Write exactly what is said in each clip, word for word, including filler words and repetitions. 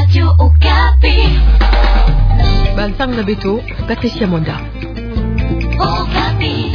Radio Okapi. Bansango na beto, Patricia Mwanda. Okapi.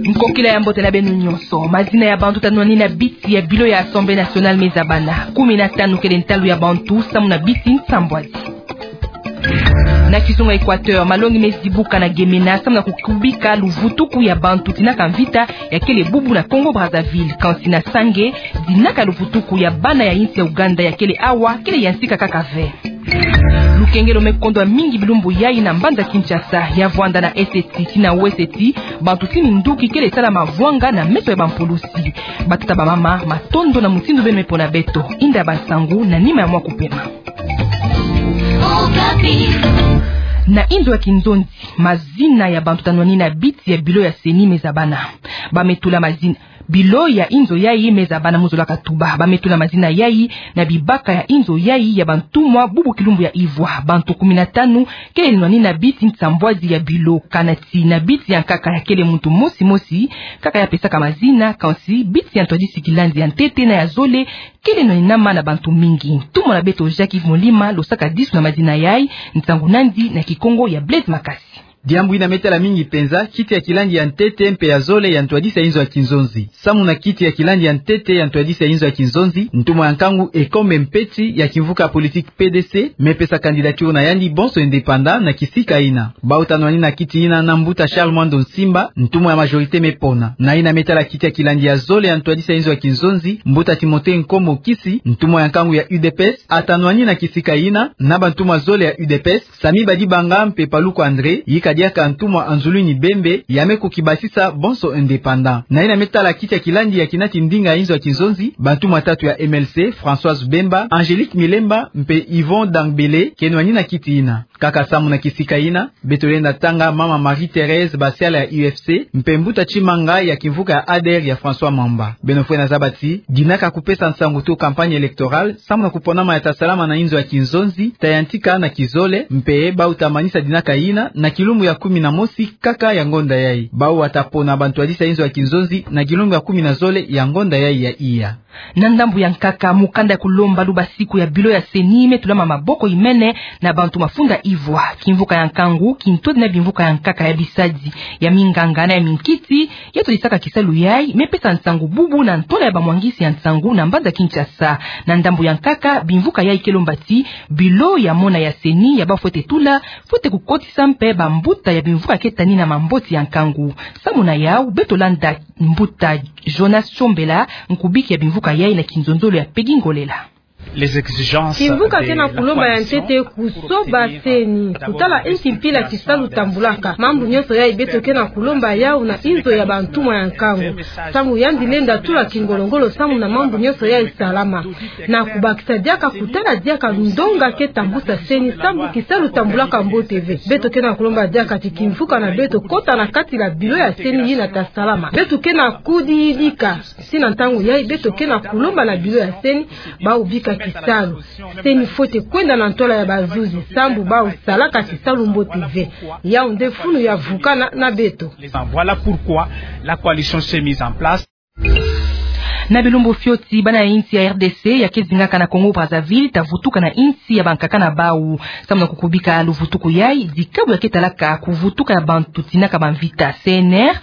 Nkokila ya mbote na beno nyonso. Mazina ya bantu tanwani na biti ya bilo ya Assemblée nationale me zabana. Kumi na tanu kele ntalu ya bantu, samu na biti nsambwadi. Na kizunga Équateur, malongi me zibuka na Gemena, samu na kukubika luvutuku ya bantu tinaka mvita ya kele bubu na Congo Brazzaville. Kansi na Sange, dinaka luvutuku ya bana ya insi ya Ouganda ya kele awa, kele ya nsika kaka ve. Lukengelo me kondwa mingi bilumbu yayi na mbanza Kinshasa, ya vwanda na eseti tii na weseti, bantu ti minduki kele sala mavwanga na meso ya bampulusi. Batata bamama, matondo na mutindu beno me pona beto. Inda ya bansangu na nima ya mwa kupema. Na inzo ya kinzonzi, mazina ya bantu tanwani na biti ya bilo ya CENI me zabana. Ba me tula mazina. Bilo ya inzo yayi me zabana, mu zola katuba. Ba me tula mazina yayi na bibaka ya inzo yayi ya bantumwa bubu kilumbu ya ivwa. Bantu kumi na tanu kele nwani na biti nsambwadi ya bilo, kana ti na biti ya nkaka ya kele muntu mosi mosi kaka ya pesaka mazina, kansi biti ya ntwadisi kilandi ya ntete na ya zole kele nwani na mana bantu mingi. Ntumwa na beto Jacques Yves Molima lo saka disu na mazina yayi, nsangu nandi na Kikongo ya Blaise Makasi. Diambu yina me tala mingi penza, kiti ya kilandi ya ntete mpe ya zole ya ntwadisi ya inzo ya kinzonzi. Samu na kiti ya kilandi ya ntete ya ntwadisi ya inzo ya kinzonzi, ntumwa ya nkangu Ekombe Mpeti ya kimvuka ya politique P D C me pesa candidature na yandi bonso indépendant na kisika yina. Bau tanwani na kiti yina na mbuta Charles Mwando Nsimba, ntumwa ya majorité me pona. Na yina me tala kiti ya kilandi ya zole ya ntwadisi ya inzo ya kinzonzi, mbuta Timothée Nkombo Kisi, ntumwa ya nkangu ya U D P S, atanwani na kisika yina na bantumwa zole ya U D P S, Samy Badibanga mpe Paluku André, yika diaka ntumwa Anzulwini Bembe, ya me kukibasisa bonso indépendant. Na yina me tala kiti ya kilandi ya kinati ndinga ya inzo ya kinzonzi, bantumwa tatu ya M L C, Françoise Bemba, Angélique Milemba mpe Yvon Dangbele, ke nwani na kiti yina. Kaka samu na kisika yina, beto lenda tanga mama Marie-Thérèse Basiala ya U F C, mpe mbuta Tshimanga ya kimvuka ya ADER ya François Mamba. Beno fwena zaba ti, dinaka kupesa nsangu to campagne électorale, samu na kuponama ya ta salama na inzo ya kinzonzi, ta yantika na kizole, mpe bau ta manisa dinaka yina na kilumbu ya kumi na mosi kaka ya ngonda yayi. Bau wata pona bantwadisi ya inzo ya kinzonzi na kilumbu ya kumi na zole ya ngonda yayi ya iya. Na ndambu ya nkaka, mukanda ya kulomba lubasiku ya bilo ya CENI me tulama maboko imene na bantu mafunda ivwa. Kimvuka ya nkangu, kintwadi na bimvuka ya nkaka ya bisadi, ya minganga na ya minkiti, ya twadisaka kisalu yayi, me pesa nsangu bubu na ntwala ya bamwangisi ya nsangu na mbanza Kinshasa. Na ndambu ya nkaka, bimvuka yayi ke lomba ti bilo ya mona ya CENI ya bafwete tula, fwete kukotisa mpe bambuta ya bimvuka ke tani na mamboti ya nkangu. Samu na yau, beto landa mbuta Jonas Chombela, nkubiki ya bimvuka yayi na kinzonzolo ya Peggy Ngolela. Kimvuka ke na kulomba ya ntete kusoba CENI, kutala inki mpila kisalu tambulaka. Mambu nyonso yayi beto ke na kulomba yau na inzo ya bantumwa ya nkangu. Samu yandi lenda tula kingolongolo samu na mambu nyonso yayi salama. Na kubakisa diaka kutala diaka ndonga ke tambusa CENI, samu kisalu tambulaka mbote ve. Beto ke na kulomba diaka ti kimvuka na beto kota na kati la bilo ya CENI yina ta salama. Beto ke na kudidika. Si na ntangu yayi beto ke na kulomba na bilo ya CENI, bau bika kisalu. CENI fwete kwenda na ntwala ya bazuzi, samu bau salaka kisalu mbote ve. Yau nde funu ya vukana na beto. Voilà pourquoi la coalition s'est mise en place. Na bilumbu fioti, bana ya insi ya R D C ya ke zingaka na Congo Brazzaville ta vutuka na insi ya bankaka na bau. Samu na kukubika luvutuku yayi, dikabu ya ke talaka kuvutuka ya bantu tinaka bamvita, C N R,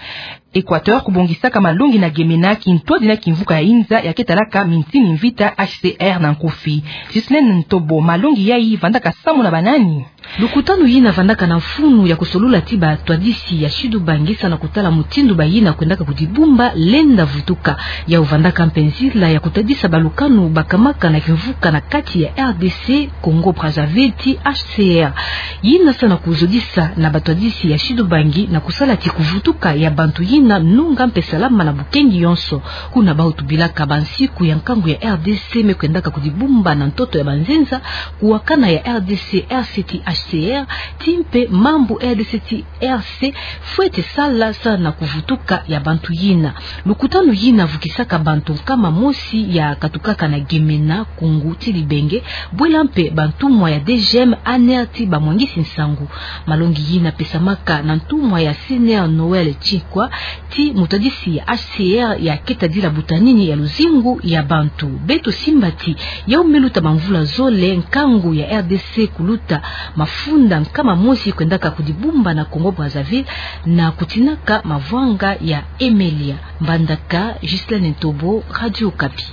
Équateur kubongisaka malongi na Gemena, kintwadi na kimvuka ya inza ya ke talaka mintini mvita, H C R na nkufi. Ghislaine Ntobo, malongi yayi vandaka samu na banani? Lukutanu yina vandaka na mfunu ya kusolula ti batwadisi ya Sud-Ubangi samu na kutala mutindu bayina kwendaka kudibumba lenda vutuka. Yau vandaka mpe nzila ya kutadisa balukanu bakamaka na kimvuka na kati ya R D C, Congo Brazzaville ti H C R. Yina samu na kuzodisa na batwadisi ya Sud-Ubangi na kusala ti kuvutuka ya bantu yina nunga mpe salama na bukengi yonso. Kuna bau tubilaka bansiku ya nkangu ya R D C me kwendaka kudibumba na ntoto ya banzenza, kuwakana ya R D C, R C T H C R, ti mpe mambu R D C ti R C fwete sala, sala na kuvutuka ya bantu yina. Lukutanu yina vukisaka bantu nkama mosi ya katukaka na Gemena, Koungou ti Libenge, bwela mpe bantumwa ya D G M, A N R ti bamwangisi nsangu. Malongi yina pesamaka na ntumwa ya C N R Noël Tchikwa, ti mutadisi ya H C R ya keta dila butanini ya luzingu ya bantu. Beto simba ti, yau me luta bamvula zole, nkangu ya R D C kuluta mafunda nkama mosi kwendaka kudibumba na Congo Brazzaville na kutinaka mavwanga ya Emelia. Mbandaka, Ghislaine Ntobo, Radio Okapi.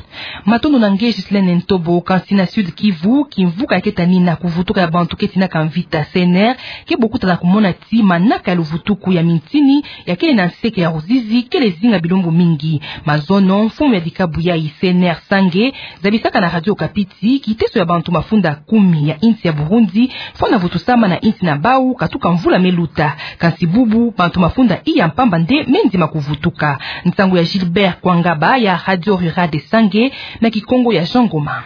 Matondo na nge Ghislaine Ntobo. Kansi na Sud-Kivu, kimvuka ya keta nina kuvutuka ya bantu ke tinaka mvita, C N R, ke bokuta na kumona ti manaka ya luvutuku ya mintini ya kele na nseke ya Ruzizi kele zinga bilumbu mingi. Mazono, mfumu ya dikabu yayi, C N R Sange, zabisaka na Radio Okapi ti kiteso ya bantu mafunda kumi ya insi ya Burundi fwana vutusama na insi na bau katuka mvula me luta. Kansi bubu, bantu mafunda iya mpamba nde me ndima kuvutuka. Nsangu ya Gilbert Kwangaba ya Radio Rurale de Sange na Kikongo ya Jean Ngoma.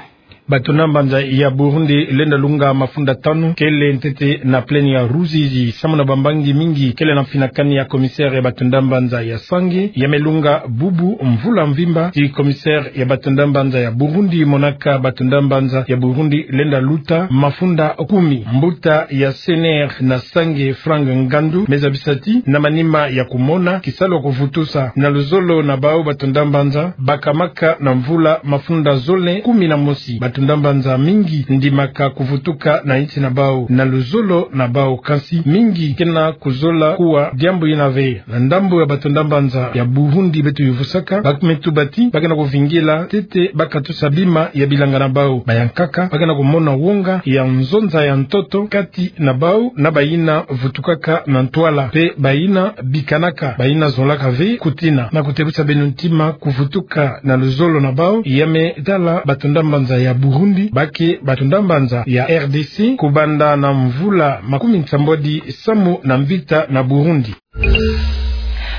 Bato na mbanza ya Burundi lenda lunga mafunda tanu kele ntete na plaine ya Ruzizi, samu na bambangi mingi kele na mfinakani ya commissaire ya bato na mbanza ya Sange, ya me lunga bubu mvula mvimba. Ti commissaire ya bato na mbanza ya Burundi monaka bato na mbanza ya Burundi lenda luta mafunda kumi. Mbuta ya C N R na Sange, Franck Ngandu, me zabisa ti na manima ya kumona kisalu ya kuvutusa na luzolo na bau bato na mbanza, bakamaka na mvula mafunda zole kumi na mosi. Bato na mbanza mingi ndimaka kuvutuka na insi na bau na luzolo na bau, kansi mingi ke na kuzola kuwa diambu yina ve. Na ndambu ya bato na mbanza ya Burundi beto yuvusaka, ba me tuba ti ba ke na kuvingila ntete ba katusa bima ya bilanga na bau. Bayankaka ba ke na kumona wonga ya nzonza ya ntoto kati na bau na bayina vutukaka na ntwala, mpe bayina bikanaka, bayina zolaka ve kutina. Na kutebusa beno ntima, kuvutuka na luzolo na bau ya me tala bato na mbanza ya Burundi ba ke bato na mbanza ya R D C kubanda na mvula makumi nsambwadi samu na mvita na Burundi.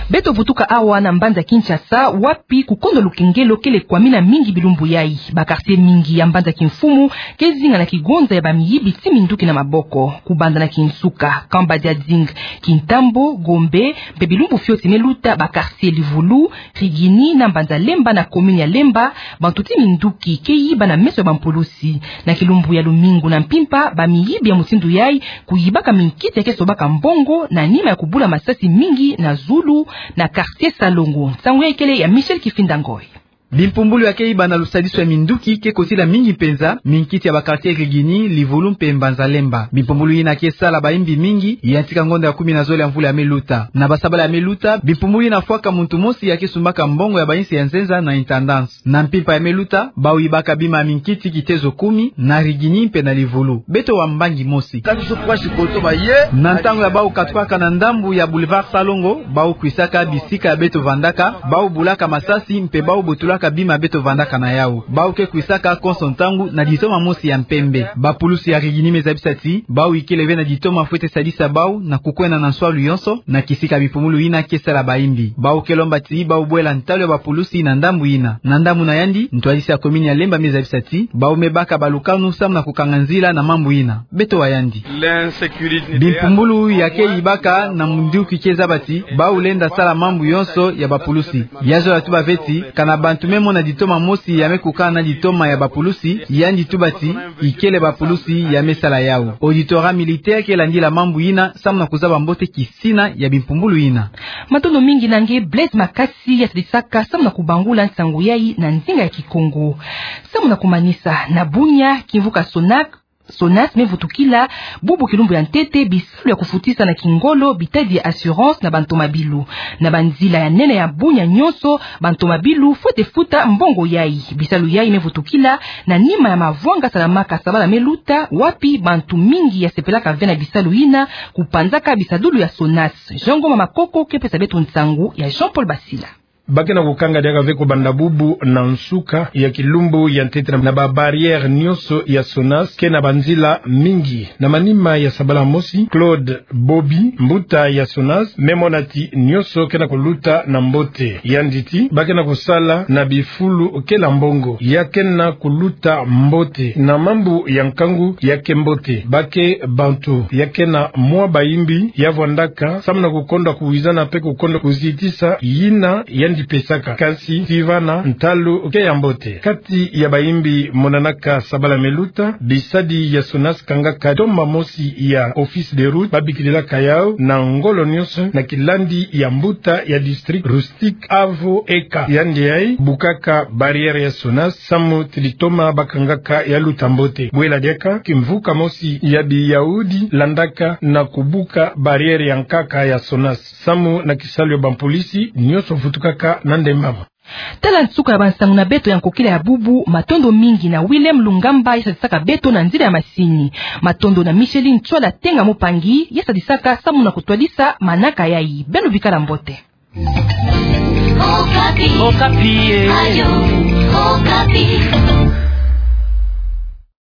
Beto vutuka awa na mbanza Kinshasa, wapi kukondo lukengelo kele kwamina mingi bilumbu yayi. Ba quartier mingi ya mbanza kimfumu ke zinga na kigonza ya bamiyibi ti minduki na maboko. Kubanda na Kinsuka, Kamba Diading, Kintambo, Gombe, mpe bilumbu fioti me luta, ba quartier Livulu, Rigini na mbanza Lemba na commune ya Lemba, bantu ti minduki ke yiba na meso ya bampulusi. Na kilumbu ya lumingu na mpimpa, bamiyibi ya mutindu yayi kuyibaka minkiti ya ke sobaka mbongo na nima ya kubula masasi mingi na zulu na quartier Salongo. Nsangu yayi kele ya Michel Kifinda Ngoy. Bimpumbulu ya ke yiba na lusadisu ya minduki ke kotila mingi mpenza minkiti ya ba quartier Rigini, Livulu mpe mbanza Lemba. Bimpumbulu yina ke sala bayimbi mingi, yantika ngonda ya kumi na zole ya mvula ya me luta. Na basabala ya me luta, bimpumbulu yina fwaka muntu mosi ya ke sumbaka mbongo ya bayinsi ya nzenza na intendance. Na mpimpa ya me luta, bau yibaka bima ya minkiti kitezo kumi, na Rigini mpe na Livulu. Beto wa mbangi mosi. Na ntangu ya bau katukaka na ndambu ya boulevard Salongo, bau kwisaka bisika ya beto vandaka, bau bulaka masasi mpe bau botulaka bima beto vandaka na yau. Bau ke kwisaka konso ntangu na ditoma mosi ya mpembe. Bapulusi ya Rigini me zabisa ti bau yikele ve na ditoma fwete sadisa bau na kukwenda na nswalu yonso na kisika bimpumbulu yina ke sala bayimbi. Bau ke lomba ti bau bwela ntalu ya bapulusi na ndambu yina. Na ndambu na yandi, ntwadisi ya commune ya Lemba me zabisa ti bau me baka balukanu samu na kukanga nzila na mambu yina. Beto wa yandi. Bimpumbulu ya ke yibaka na minduki ke zaba ti bau lenda sala mambu yonso ya bapulusi. Ya zola tuba ve ti kana bantu me mona ditoma mosi ya me kukana na ditoma ya bapulusi, yandi tuba ti ikele bapulusi ya me sala yau. Auditorat militaire ke landila mambu yina samu na kuzaba mbote kisina ya bimpumbulu yina. Matondo mingi na nge Blaise Makasi ya sadisaka samu na kubangula nsangu yayi na nzinga ya Kikongo. Samu na kumanisa, na Bunia, kimvuka Sonac, Sonac me vutukila bubu kilumbu ya ntete bisalu ya kufutisa na kingolo bitadi ya assurance na bantomabilu. Na banzila ya nene ya Bunia nyonso, bantomabilu fwete futa mbongo yayi. Bisalu yayi me vutukila na nima ya mavwanga salamaka sabala me luta, wapi bantu mingi ya sepelaka ve na bisalu yina, kupanzaka bisadulu ya Sonac. Jean Ngoma Makoko ke pesa beto nsangu ya Jean-Paul Basila. Ba ke na kukanga diaka ve kobanda bubu na nsuka ya kilumbu ya ntete na ba barrières nyonso ya SONAS ke na banzila mingi. Na manima ya sabala mosi, Claude Bobi, mbuta ya SONAS, me mona ti nyonso ke na kuluta na mbote. Yandi ti, ba ke na kusala na bifulu ke na mbongo. Ya ke na kuluta mbote. Na mambu ya nkangu ya ke mbote. Ba ke bantu ya ke na mwa bayimbi ya vwandaka, samu na kukonda kuwizana mpe kukonda kuzitisa yina yandi pesaka. Kasi ti vana ntalu ke ya mbote. Kati ya bayimbi monanaka sabala me luta, bisadi ya SONAS kangaka tomba mosi ya Office des Routes, babikililaka yau na ngolo nyonso na kilandi ya mbuta ya district Rustique Avo Eka. Yandi yayi bukaka barrière ya SONAS, samu ti litoma ba kangaka ya luta mbote. Bwela diaka kimvuka mosi ya biyaudi landaka na kubuka barrière ya nkaka ya SONAS. Samu na kisalu ya bampolisi, nyonso vutukaka na ndembama. Tala nsuka ya bansangu na beto ya nkokila ya bubu. Matondo mingi na Willem Lungamba ya sadisaka beto na nzila ya masini. Matondo na Micheline Ntsoila Tenga Mopangi ya sadisaka samu na kutwadisa manaka yayi. Beno bikala mbote. Okapi. Okapi, eh. Radio Okapi.